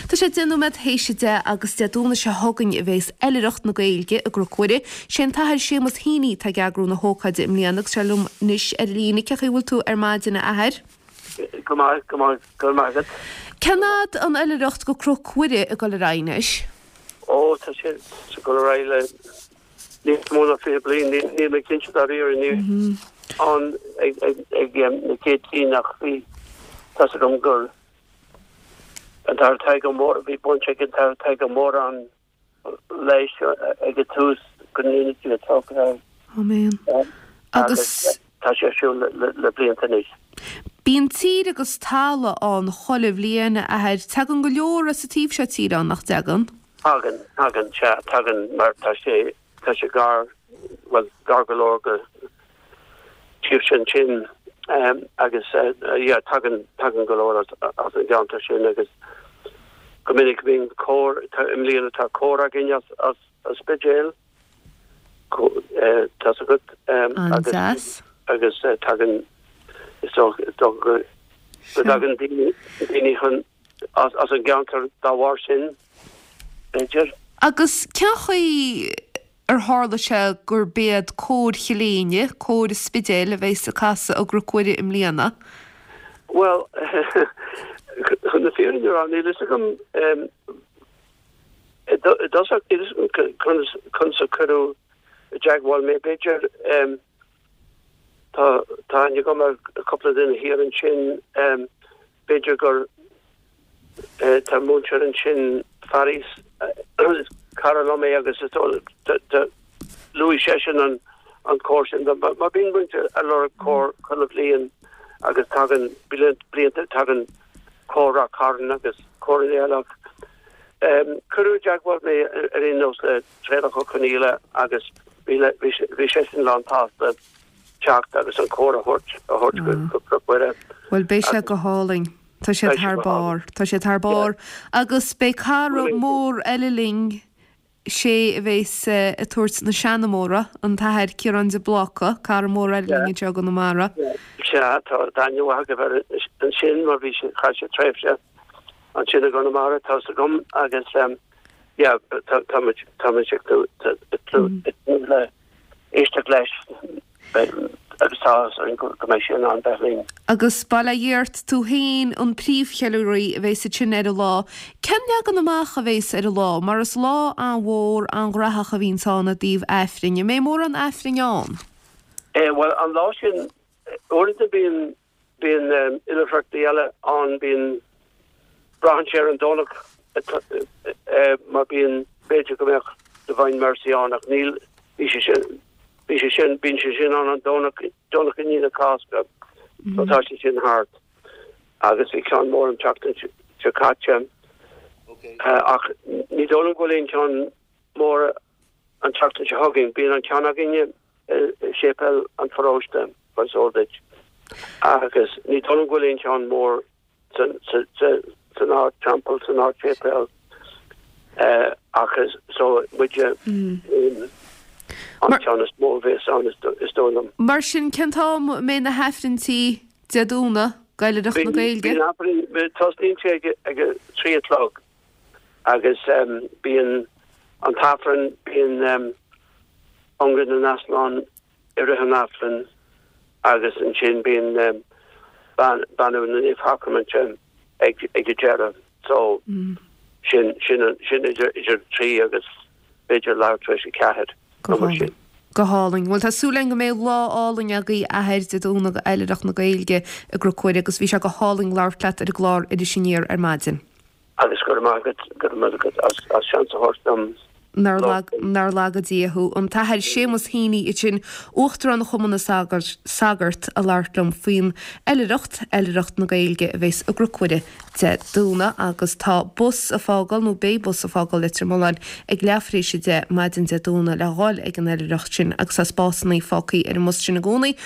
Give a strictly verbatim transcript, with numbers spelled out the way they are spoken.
Tá sé deich nóiméad théis a deich agus Dé Domhnaigh seo chugainn a bhéas Oilithreacht na Gaeilge i gCnoc Mhuire. Sé an tAthair Séamus Heaney atá ag eagrú na hócáide i mbliana agus sé liom anois ar líne. Cén chaoi a bhfuil tú ar maidin a Athair? Go maith, go maith, go raibh maith agat. Cén fhad an Oilithreacht go Cnoc Mhuire ag dul ar aghaidh anois? Ó, tá sé ag dul ar aghaidh le níos mó ná fiche bliain, níl mé cinnte dáiríre, ní ann ag ag na chéad cinn ach bhí tá's agam gur An tAthair Tadhg Ó Mórdha, bhí baint ag an tAthair Tadhg Ó Mórdha leis ag an tús, go ndéana Dia trócaire air. Amen. Agus tá sé ar siúl le blianta anois. Bíonn tír agus talamh ann chuile bhliain, a Athair. Tagann go leor as an taobh seo tíre ann, nach dtagann? Tagann, tagann, sea, tagann mar tá sé, tá sé gar, bhuel, gar go leor go taobh sin sin agus yeah tagann tagann go leor as as an gceantar sin agus go minic bíonn cór i mbliana tá cór againn as as an Spidéal tá's agat agus agus tagann is dócha is dócha go go dtagann daoine daoine chun as as an gceantar dá bharr sin b'fhéidir. Agus cén chaoi ar tharla sé gurb iad Cór Chill Éinne, Cór an Spidéil, a bheas ag casadh i gCnoc Mhuire i mbliana? Bhuel, chun na fírinne a rá, níl fhios agam i dtosach, níl fhios agam conas, conas a cuireadh i dteagmháil mé. B'fhéidir, tá, tá aithne agam ar chúpla duine thiar ansin, b'fhéidir gur Tá múinteoir ansin, Faris, is cara liom é agus is dóigh luaigh seisean an an cór sin dom. Mar bíonn muid ag lorg cór chuile bhliain agus tagann blianta tagann cór Ráth Cairn agus córanna eile ach cuireadh i dteagmháil mé ar aon nós le Traolach Ó Conghaile agus bhí bhí seisean lán tsásta teacht agus an cór a thabhairt a thabhairt go Cnoc Mhuire. Bhuel beidh sé go hálainn. Tá siad thar barr. Tá siad thar barr. Agus beidh cara mór eile linn, sé a bheas ag tabhairt na seanmóra, an tAthair Ciarán de Bláca, cara mór eile linn anseo i gConamara. Sea, tá aithne mhaith agaibh air ansin mar bhí sé, chaith sé tréimhse ansin i gConamara, tá's agam, agus yeah, tá muid, tá muid ag tnúth le éisteacht leis. agus tá áthas orainn go mbeidh sé in ann bheith linn. Agus bail ó Dhia ort, tú féin an príomhcheiliúraí a bheas ansin ar an lá. Cén leagan amach a bheas ar an lá? Mar is lá an-mhór, an-ghnaitheach a bhíonns ann i dtaobh Aifrinn. An mbeidh mórán Aifrinn ann? Bhuel, an lá sin, uaireanta bíonn Bíonn oilithreachtaí eile ann, bíonn, braitheann sé ar an Domhnach mar bíonn, b'fhéidir go mbeadh Divine Mercy ann ach níl, bhí sé sin, bhí sé sin, bíonn sé sin ann an Domhnach, Domhnach i ndiaidh na Cásca so tá sé sin thart agus bhí ceann mór an tseachtain seo caite ach ní dóigh liom go bhfuil aon cheann mór an tseachtain seo chugainn. Bíonn an ceann againne i séipéal an pharóiste, mar is eol duit, agus ní dóigh liom go bhfuil aon cheann mór san Ardteampall, san Ardséipéal, ach is so muide an ceann is mó a bhéas ann, is dóigh liom. Mar sin, cén t-am a mbeidh na hAifrinntí Dé Domhnaigh, d'Oilithreacht na Gaeilge? Bíonn Aifreann, tosnaíonn sé ag a trí a chlog agus bíonn an tAifreann, bíonn Ionradh na nEaslán i rith an Aifrinn agus ansin bíonn Beannú na Naomhshacraiminte ag an deireadh. So sin sin sin idir idir trí agus b'fhéidir leathuair tar éis a ceathair nó mar sin. Go hálainn. Bhuel tá súil againn go mbeidh lá álainn agaibh a Athair Dé Domhnaigh Oilithreacht na Gaeilge i gCnoc Mhuire agus bhí sé go hálainn labhairt leat ar an gclár Iris Aniar ar maidin. Agus go raibh maith agat, go raibh maith agat as as seans a thabhairt dom Nár lag, nár laga Dia thú. An tAthair Séamus Heaney ansin, Uachtarán Chumann na Sagart, Sagart ag labhairt liom faoin Oilithreacht, Oilithreacht na Gaeilge a bheas i gCnoc Mhuire Dé Domhnaigh agus tá bus ag fágáil, nó beidh bus ag fágáil Leitir Mealláin ag leath tar éis a deich maidin Dé Domhnaigh le dhul ag an Oilithreacht sin agus tá spásannaí fágthaí ar an mbus sin i gcónaí.